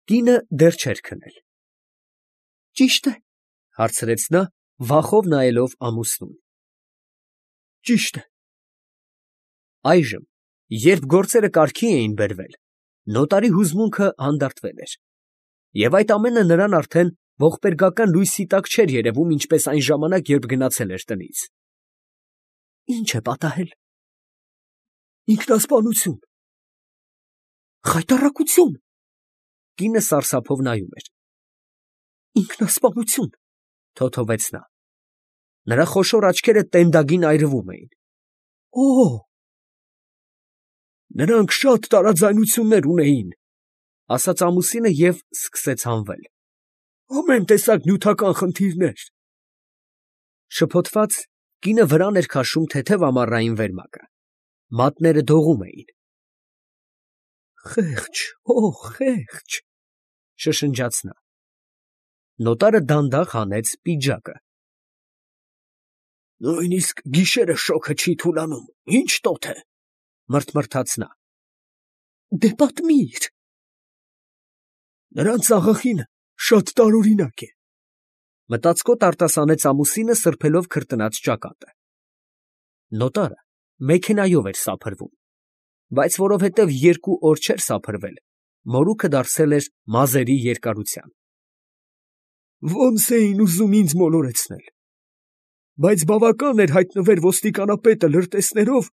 Կինը դեռ չէր քնել։ Ճիշտ է, հարցրեց նա, վախով նայելով ամուսնուն։ Ճիշտ է։ Այժմ, երբ գործերը կարգի էին բերվել, նոտարի հուզմունքը հանդարտվել էր, և այդ ամենը նրան արդեն ողբերգական լույսի տակ չէր երևում, ինչպես այն ժամանակ, երբ գնացել էր տնից։ Ի՞նչ է պատահել։ Ինքնասպանություն։ Խայտառակություն։ Կինը սարսափով նայում էր։ Ինքնասպանություն, թոթովեց նա։ Նրա խոշոր աչքերը տենդագին այրվում էին։ Օ՜։ Նրանք շատ տարաձայնություններ ունեին, ասաց ամուսինը և սկսեց հանվել։ Ամեն տեսակ նյութական խնդիրներ։ Շփոթված, կինը վրան էր քաշում թեթև ամառային վերմակը։ Մատները դողում էին։ Խեղճ, խեղճ, շշնջաց նա։ Նոտարը դանդաղ հանեց պիջակը։ Նույնիսկ գիշերը շոգը չի թուլանում, ինչ տոթ է, մռթմռթաց նա։ Դե պատմիր։ Նրանց աղախինը շատ տարօրինակ է, մտածկոտ արտասանեց ամուսինը, սրբելով քրտնած ճակատը։ Նոտարը մեքենայով էր սափրվում, բայց որովհետև 2 օր չէր սափրվել, մորուքը դարձել էր մազերի երկարության։ Ոնց էին ուզում ինձ մոլորեցնել, բայց բավական էր հայտնվեր ոստիկանապետը լրտեսներով,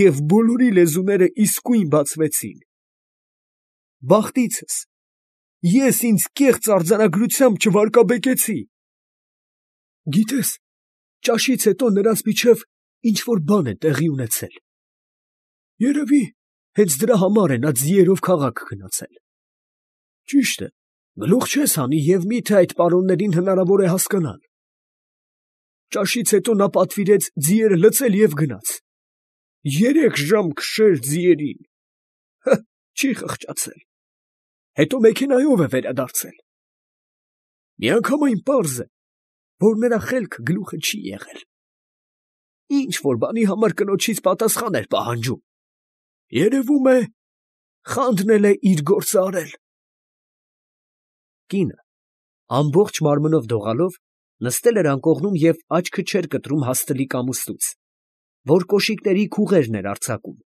և բոլորի լեզուները իսկույն բացվեցին։ Բախտիցս, ես ինձ կեղծ արձանագրությամբ չվարկաբեկեցի։ Գիտես, ճաշից հետո նրանց միջև ինչ-որ բան է տեղի ունեցել։ Երևի, հենց դրա համար է նա ձիերով քաղաք գնացել։ Ճիշտ է, գլուխ չես հանի, և միթե այդ պարոններին հնարավոր է հասկանալ։ Ճաշից հետո նա պատվիրեց ձիերը լցել և գնաց։ 3 ժամ քշեր ձիերին։ Չի խղճացել։ Հետո մեքենայով է վերադարձել։ Միանգամայն պարզ է, որ նրա խելքը գլուխը չի եղել։ Ինչ-որ բանի համար կնոջից պատասխան էր պահանջում։ Երևում է, խանդնել է իր գործը արել։ Կինը, ամբողջ մարմնով դողալով, նստել էր անկողնում և աչքը չէր կտրում հաստլիկ ամուսնուց, որ կոշիկների քուղերն էր արձակում։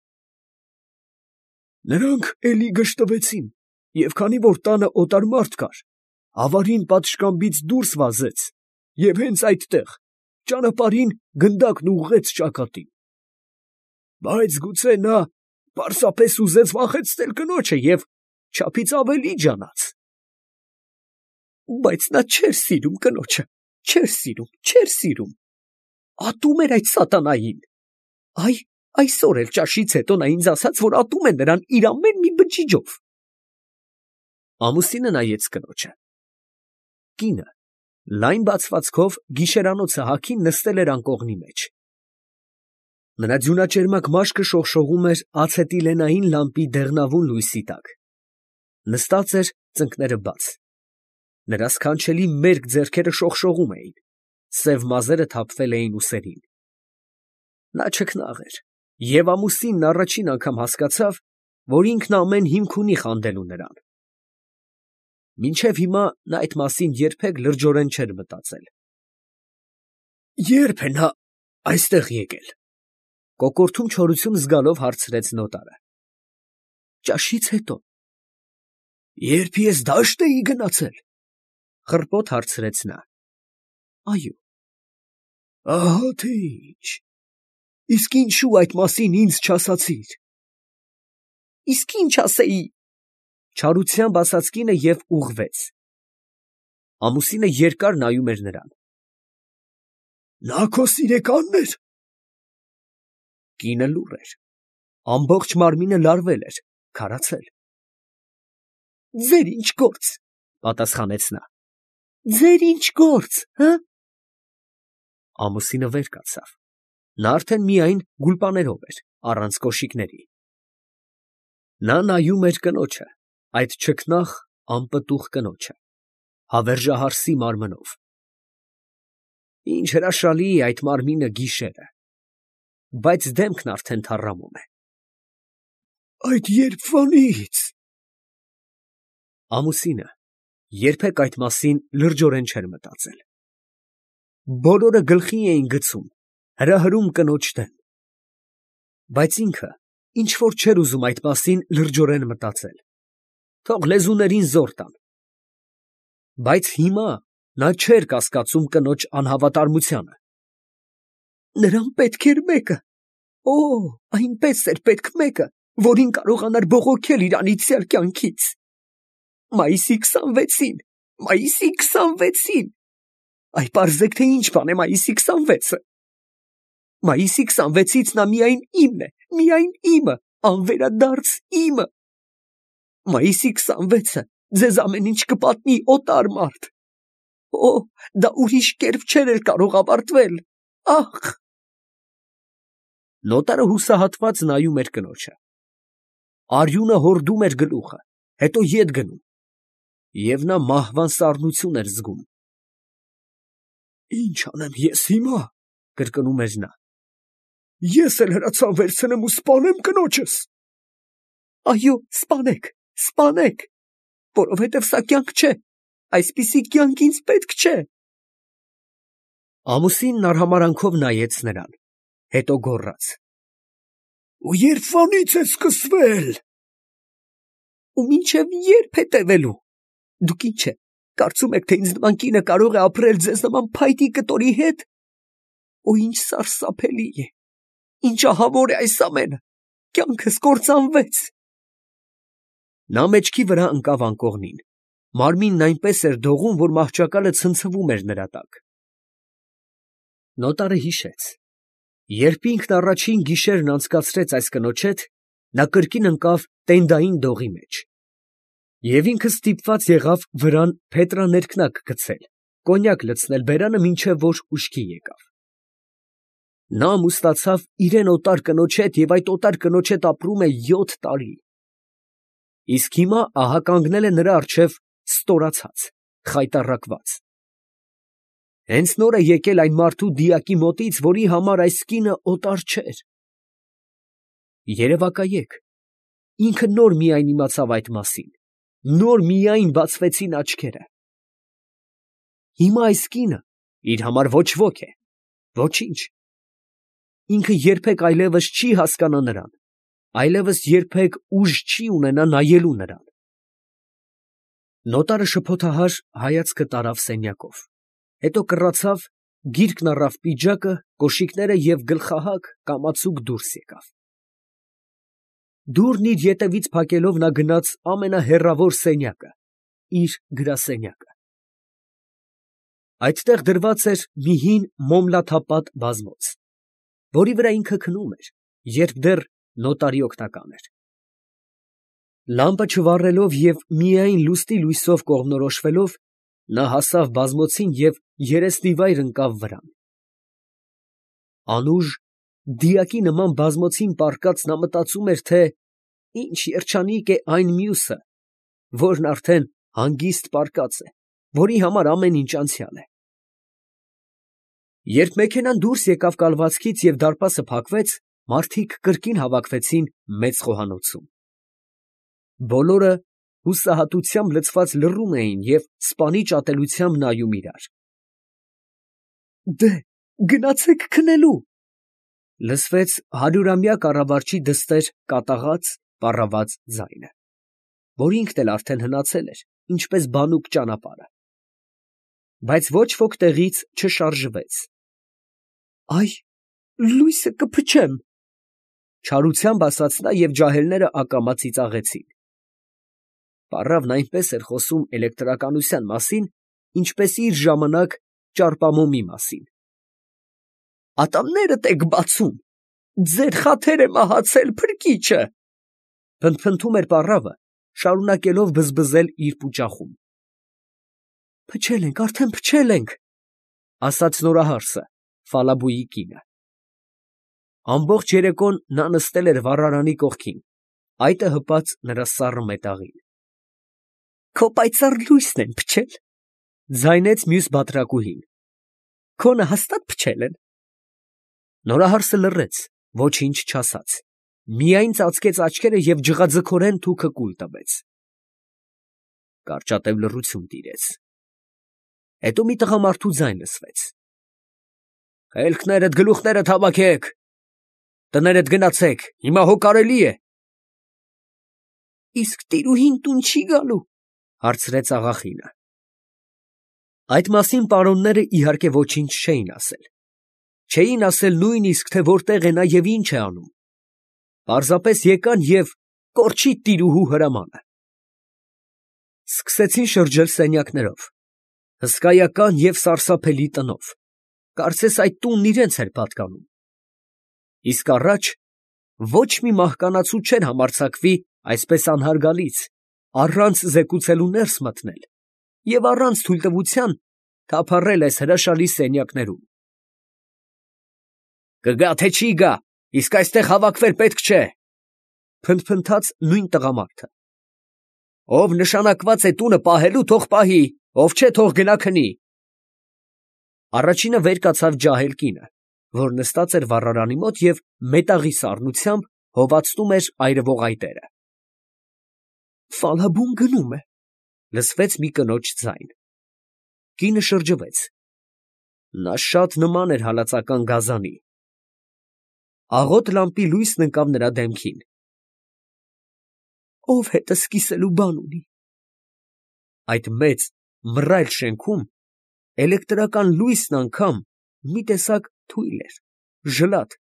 Նրանք էլի գժտվեցին, և քանի որ տանը օտար մարդ կար, ավարին պատշգամբից դուրս վազեց և հենց այդտեղ, ճանապարհին, գնդակն ուղղեց ճակատին։ Բայց գուցե նա պարզապես ուզեց վախեցնել կնոջը և չափից ավելի ջանաց։ Բայց նա չէր սիրում կնոջը, չէր սիրում։ Ատում էր այդ սատանային։ Այսօր էլ ճաշից հետո նա ինձ ասաց, որ ատում է նրան իր ամեն մի բջիջով։ Ամուսինը նայեց կնոջը։ Կինը, լայն բացվածքով գիշերանոցը հագին, նստել էր անկողնի մեջ։ Նրա ձյունաճերմակ մաշկը շողշողում էր ացետիլենային լամպի դեղնավուն լույսի տակ։ Նստած էր, ծնկները բաց։ Նրա սքանչելի մերկ ձեռքերը շողշողում էին, սև մազերը թափվել էին ուսերին։ Նա չքնաղ էր, և ամուսինն առաջին անգամ հասկացավ, որ ինքն ամեն հիմք ունի խանդելու նրան։ Մինչև հիմա նա այդ մասին երբեք լրջորեն չէր մտածել։ Ե՞րբ է նա այստեղ եկել, կոկորդում չորություն զգալով հարցրեց նոտարը։ Ճաշից հետո։ Երբ ես դաշտ էի գնացել, խռպոտ հարցրեց նա։ Այո։ Ահա թե ինչ։ Իսկ ինչու այդ մասին ինձ չասացիր։ Իսկ ինչ ասեի, չարությամբ ասաց կինը և ուղղվեց։ Ամուսինը երկար նայում էր նրան։ Նա քո սիրեկանն էր։ Կինը լուռ էր, ամբողջ մարմինը լարվել էր, քարացել։ Ձեր ինչ գործ, պատասխանեց նա։ Ձեր ինչ գործ, հը։ Ամուսինը վեր կացավ։ Նա արդեն միայն գուլպաներով էր, առանց կոշիկների։ Նա նայում էր կնոջը, այդ չքնաղ, անպտուղ կնոջը, հավերժահարսի մարմնով։ Ինչ հրաշալի է այդ մարմինը գիշերը, բայց դեմքն արդեն թառամում է։ Այդ երբվանից։ Ամուսինը երբեք այդ մասին լրջորեն չէր մտածել։ Բոլորը գլխի էին գցում, հրահրում կնոջ դեմ, բայց ինքը ինչ որ չէր ուզում այդ մասին լրջորեն մտածել, թող լեզուներին զոր տան։ Բայց հիմա նա չէր կասկածում կնոջ անհավատարմությանը։ Նրան պետք էր մեկը, այնպես էր պետք մեկը, որին կարողանար բողոքել իր անիծյալ կյանքից։ Մայիսի 26-ին, մայիսի 26-ին, այ պարզեք, թե ինչ բան է մայիսի 26-ը։ Մայիսի 26-ից նա միայն իմն է, միայն իմը, անվերադարձ իմը։ Մայիսի 26-ը ձեզ ամեն ինչ կպատնի, օտար մարդ։ Դա ուրիշ կերպ չէր էլ կարող ավարտվել, ախ։ Նոտարը հուսահատված նայում էր կնոջը։ Արյունը հորդում էր գլուխը, հետո ետ գնում, և նա մահվան սառնություն էր զգում։ Ինչ անեմ ես հիմա, կրկնում էր նա։ Ես էլ հրացան վերցնեմ ու սպանեմ կնոջս։ Այո, սպանեք, սպանեք, որովհետև սա կյանք չէ, այսպիսի կյանք ինձ պետք չէ։ Ամուսինն արհամարանքով նայեց նրան, հետո գոռաց. Ու երբվանից է սկսվել։ Ու մինչև երբ է տևելու։ Դուք ինչ է, կարծում եք, թե ինձ նման կինը կարող է ապրել ձեզ նման փայտի կտորի հետ։ Ու ինչ սարսափելի է, ինչ ահավոր է այս ամենը, կյանքս կործանվեց։ Նա մեջքի վրա ընկավ անկողնին, մարմինն այնպես էր դողում, որ մահճակալը ցնցվում էր նրա տակ։ Նոտարը հիշեց, երբ ինքն առաջին գիշերն անցկացրեց այս կնոջ հետ, նա կրկին ընկավ տենդային դողի մեջ, և ինքը ստիպված եղավ վրան փետրաներկնակ գցել, կոնյակ լցնել բերանը, մինչև որ ուշքի եկավ։ Նա ամուսնացավ իրեն օտար կնոջ հետ և այդ օտար կնոջ հետ ապրում է 7 տարի։ Իսկ հիմա ահա կանգնել է նրա առջև ստորացած, խայտառակված։ Հենց նոր է եկել այն մարդու դիակի մոտից, որի համար այս կինը օտար չէր։ Երևակայեք, ինքը նոր միայն իմացավ այդ մասին, նոր միայն բացվեցին աչքերը։ Հիմա այս կինը իր համար ոչ ոք է, ոչինչ։ Ինքը երբեք այլևս չի հասկանա նրան, այլևս երբեք ուժ չի ունենա նայելու նրան։ Նոտարը շփոթահար հայացքը տարավ սենյակով, հետո կռացավ, գիրկն առավ պիջակը, կոշիկները և գլխահակ կամացուկ դուրս եկավ։ Դուռն իր ետևից փակելով նա գնաց ամենահեռավոր սենյակը, իր գրասենյակը։ Այդտեղ դրված էր մի հին մոմլաթափատ բազմոց, որի վրա ինքը քնում էր, երբ դեռ նոտարի օգնական էր։ Լամպը չվառելով և միայն լուսնի լույսով կողմնորոշվելով, նա հասավ բազմոցին և երեսնիվայր ընկավ վրան։ Անուշ, դիակի նման բազմոցին պառկած նա մտածում էր, թե ինչ երջանիկ է այն մյուսը, որն արդեն հանգիստ պառկած է, որի համար ամեն ինչ անցյալ է։ Երբ մեքենան դուրս եկավ կալվածքից և դարպասը փակվեց, մարդիկ կրկին հավաքվեցին մեծ խոհանոցում։ Բոլորը հուսահատությամբ լցված լռում էին և սպանիչ ատելությամբ նայում իրար։ Գնացեք քնելու, լսվեց 100-ամյա կառավարչի դստեր կատաղած, պառաված ձայնը, որ ինքն էլ արդեն հնացել էր, ինչպես բանուկ ճանապարհը։ Բայց ոչ ոք տեղից չշարժվեց։ Այ, լույսը կփչեմ, չարությամբ ասաց նա և ջահելները ակամա ծիծաղեցին։ Պառավն այնպես էր խոսում էլեկտրականության մասին, ինչպես իր ժամանակ ճարպամոմի մասին։ Ատամներդ եք բացում, ձեր խաթերը մահացել փրկիչը, փնթփնթում էր պառավը, շարունակելով բզբզել իր պուճախում։ Փչել ենք, արդեն փչել ենք, ասաց նորահարսը, Ֆալաբուի կինը։ Ամբողջ երեկոն նա նստել էր վառարանի կողքին, այտը հպած նրա սառը մետաղին։ Քո պայծառ լույսն են փչել, ձայնեց մյուս բատրակուհին։ Քոնը հաստատ փչել են։ Նորահարսը լռեց, ոչինչ չասաց, միայն ծածկեց աչքերը և ջղաձգորեն թուքը կուլ տվեց։ Կարճատև լռություն տիրեց։ Հետո մի տղամարդու ձայն լսվեց. «Խելքներդ, գլուխներդ հավաքեք, տներդ գնացեք, հիմա հո կարելի է»։ «Իսկ տիրուհին տուն չի գալու», հարցրեց աղախինը։ Այդ մասին պարոնները իհարկե ոչինչ չէին ասել։ Չէին ասել նույնիսկ, թե որտեղ է նա և ինչ է անում։ Պարզապես եկան և կորչի տիրուհու հրամանը։ Սկսեցին շրջել սենյակներով, հսկայական և սարսափելի տնով, կարծես այդ տունն իրենց էր պատկանում։ Իսկ առաջ ոչ մի մահկանացու չէր համարձակվի այսպես անհարգալից, առանց զեկուցելու ներս մտնել և առանց թույլտվության թափառել այս հրաշալի սենյակներում։ «Կգա, թե չի գա, իսկ այստեղ հավաքվել պետք չէ», փնթփնթաց նույն տղամարդը։ «Ով նշանակված է տունը պահելու, թող պահի, ով չէ, թող գնա քնի»։ Առաջինը վեր կացավ ջահել կինը, որ նստած էր վառարանի մոտ և մետաղի սառնությամբ հովացնում էր այրվող այտերը։ «Ֆալաբուն գնում է», լսվեց մի կնոջ ձայն։ Կինը շրջվեց։ Նա շատ նման էր հալածական գազանի։ Աղոտ լամպի լույսն ընկավ նրա դեմքին։ «Ով հետս կիսելու բան ունի»։ Այդ մեծ մռայլ շենքում էլեկտրական լույսն անգամ մի տեսակ թույլ էր, ժլատ,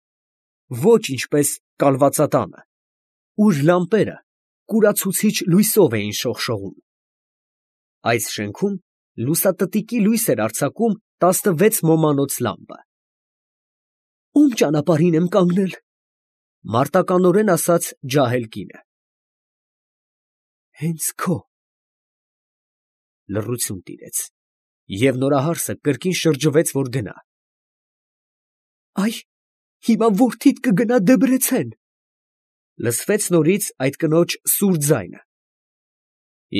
ոչ ինչպես կալվածատանը, ուր լամպերը կուրացուցիչ լույսով էին շողշողում։ Այս շենքում լուսատտիկի լույս էր արձակում 16 մոմանոց լամպը։ «Ում ճանապարհին եմ կանգնել», մարտականորեն ասաց ջահել կինը։ «Հենց քո»։ Լռություն տիրեց, և նորահարսը կրկին շրջվեց, որ գնա։ «Այ, հիմա որդիդ կգնա Դեբրեցեն», լսվեց նորից այդ կնոջ սուր ձայնը։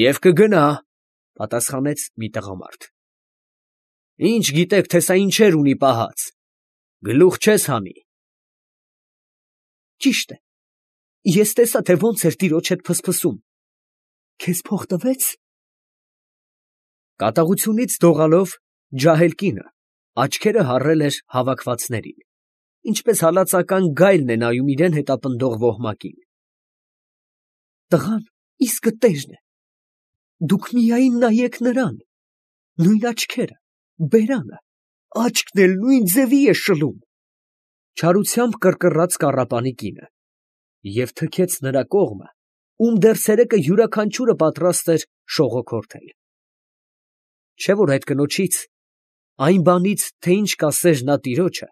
«Եվ կգնա», պատասխանեց մի տղամարդ։ «Ինչ գիտեք, թե սա ինչեր ունի պահած, գլուխ չես հանի»։ «Ճիշտ է, ես տեսա, թե ոնց էր տիրոջ հետ փսփսում, քեզ փող տվեց»։ Կատաղությունից դողալով ջահել կինը աչքերը հառել էր հավաքվածներին, ինչպես հալածական գայլն է նայում իրան հետապնդող ոհմակին։ «Տղան իսկը տերն է, դուք միայն նայեք նրան, նույն աչքերը, բերանը, աչքն էլ նույն ձևի է շլում», չարությամբ կռկռաց կառապանի կինը և թքեց նրա կողմը, ում դեռ ցերեկը յուրաքանչյուրը պատրաստ էր շողոքորթել։ Չէ՞ որ այդ կնոջից, այն բանից, թե ինչ կասեր նա տիրոջը,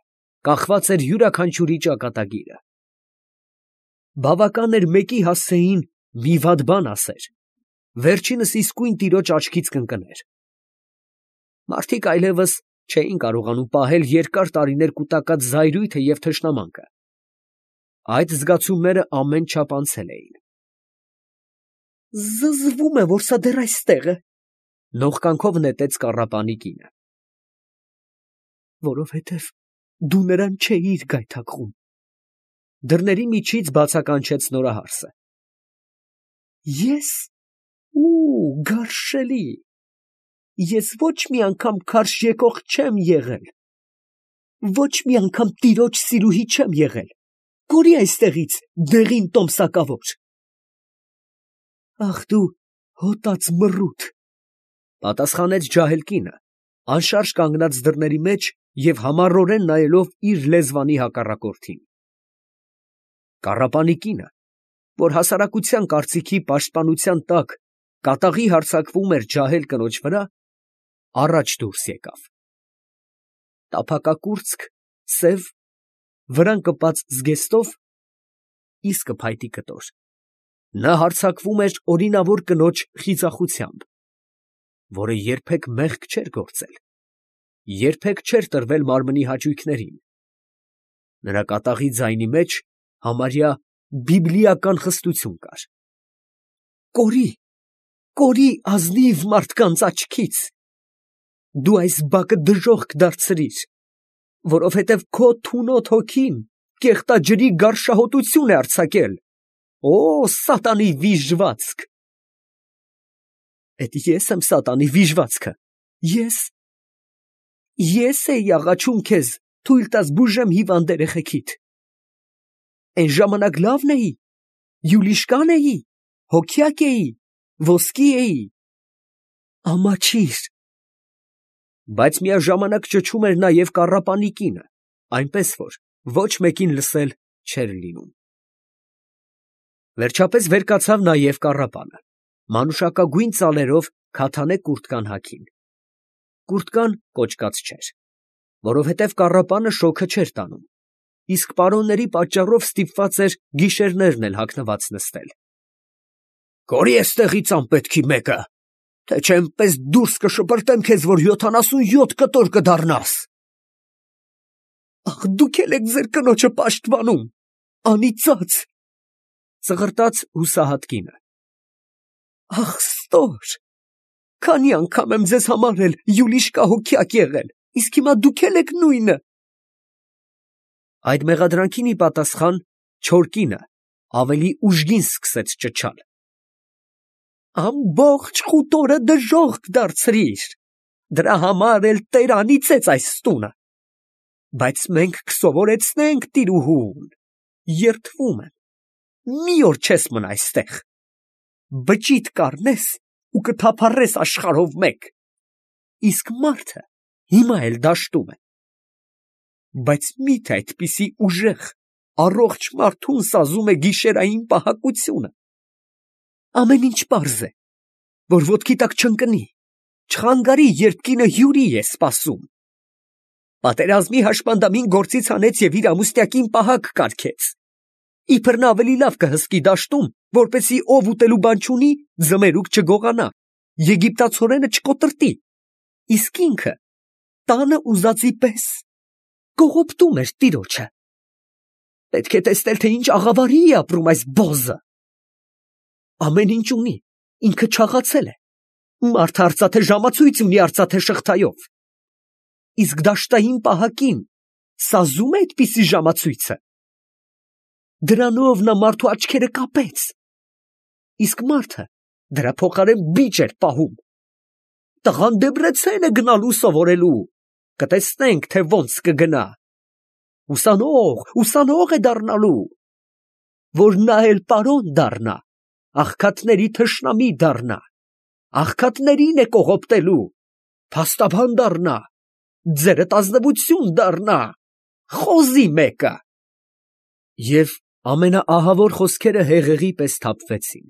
կախված էր յուրաքանչյուրի ճակատագիրը։ Բավական էր մեկի հասցեին մի վատ բան ասեր, վերջինս իսկույն տիրոջ աչքից կընկներ։ Մարդիկ այլևս չէին կարողանում պահել երկար տարիներ կուտակած զայրույթը և թշնամանքը։ Այդ զգացումները ամեն չափ անցել էին։ «Զզվում է, որ սա դեռ այստեղ է», նողկանքով նետեց կառապանի կինը։ «Որովհետև դու նրան չէիր գայթակղում», դռների միջից բացականչեց նորահարսը։ «Ես… գարշելի… ես ոչ մի անգամ քարշ եկող չեմ եղել, ոչ մի անգամ տիրոջ սիրուհի չեմ եղել, կորի այստեղից, դեղին տոմսակավոր»։ «Ախ դու հոտած մռութ», պատասխանեց ջահել կինը, անշարժ կանգնած դռների մեջ և համառորեն նայելով իր լեզվանի հակառակորդին։ Կառապանի կինը, որ հասարակության կարծիքի պաշտպանության տակ կատաղի հարձակվում էր ջահել կնոջ վրա, առաջ դուրս եկավ։ Տափակակուրծք, սև, վրան կպած զգեստով, իսկը փայտի կտոր, նա հարձակվում էր օրինավոր կնոջ խիզախությամբ, որը երբեք մեղք չէր գործել, երբեք չէր տրվել մարմնի հաճույքներին։ Նրա կատաղի ձայնի մեջ համարյա բիբլիական խստություն կար։ «Կորի, կորի ազնիվ մարդկանց աչքից, դու այս բակը դժոխք կդարձրիր, որովհետև քո թունոտ հոգին կեղտաջրի գարշահոտություն է արձակել, օ սատանի վիժվածք»։ Էդ ես եմ սատանի վիժվածքը, ես էի աղաչում քեզ, թույլ տաս բուժեմ հիվանդ երեխեքիդ։ Այն ժամանակ լավն էի, յուլիշկան էի, հոգյակ էի, ոսկի էի, ամաչիր։ Բայց միաժամանակ ճչում էր նաև կառապանի կինը, այնպես որ ոչ մեկին լսել չէր լինում։ Վերջապես վեր կացավ նաև կառապանը, մանուշակագույն ծալերով քաթանե կուրտկան հագին։ Կուրտկան կոճկած չէր, որովհետև կառապանը շոգը չէր տանում, իսկ պարոնների պատճառով ստիպված էր գիշերներն էլ հագնված նստել։ «Կորի էստեղից անպետքի մեկը, թե չէ էնպես դուրս կշպրտեմ քեզ, որ 77 կտոր կդառնաս»։ «Ախ, դուք էլ եք ձեր կնոջը պաշտպանում, անիծած», ծղրտաց հուսահատ կինը։ «Ախ, ստոր, քանի անգամ եմ ձեզ համար էլ յուլիշկա հոգյակ եղել, իսկ հիմա դուք էլ եք նույնը»։ Այդ մեղադրանքին ի պատասխան չոր կինը ավելի ուժգին սկսեց ճչալ. «Ամբողջ խուտորը դժոխք դարձրիր, դրա համար էլ Տեր անիծեց այս տունը, բայց մենք կսովորեցնենք տիրուհուն, երդվում եմ, մի օր չես մնա այստեղ, բջիդ կառնես ու կթափառես աշխարհով մեկ, իսկ մարդը հիմա էլ դաշտում է, բայց մի՞թե այդպիսի ուժեղ, առողջ մարդուն սազում է գիշերային պահակությունը։ Ամեն ինչ պարզ է, որ ոտքի տակ չընկնի, չխանգարի, երբ կինը հյուրի է սպասում։ Պատերազմի հաշմանդամին գործից հանեց և իր ամուսնյակին պահակ կարգեց, իբր նա ավելի լավ կհսկի դաշտում, որպեսզի ով ուտելու բան չունի, ձմերուկ չգողանա, եգիպտացորենը չկոտրտի, իսկ ինքը տանը ուզածի պես կողոպտում էր տիրոջը։ Պետք է տեսնել, թե ինչ աղավարի է ապրում այս բոզը։ Ամեն ինչ ունի, ինքը չաղացել է, մարդը արծաթե ժամացույց ունի արծաթե շղթայով, իսկ դաշտային պահակին սազում է այդպիսի ժամացույցը։ Դրանով նա մարդու աչքերը կապեց, իսկ մարդը դրա փոխարեն բիճ էր պահում։ Տղան Դեբրեցեն է գնալու սովորելու, կտեսնենք, թե ոնց կգնա։ Ուսանող է դառնալու, որ նա էլ պարոն դառնա, աղքատների թշնամի դառնա, աղքատներին է կողոպտելու, փաստաբան դառնա, ձերդ ազնվություն դառնա, խոզի մեկը։ Եվ ամենաահավոր խոսքերը հեղեղի պես թափվեցին։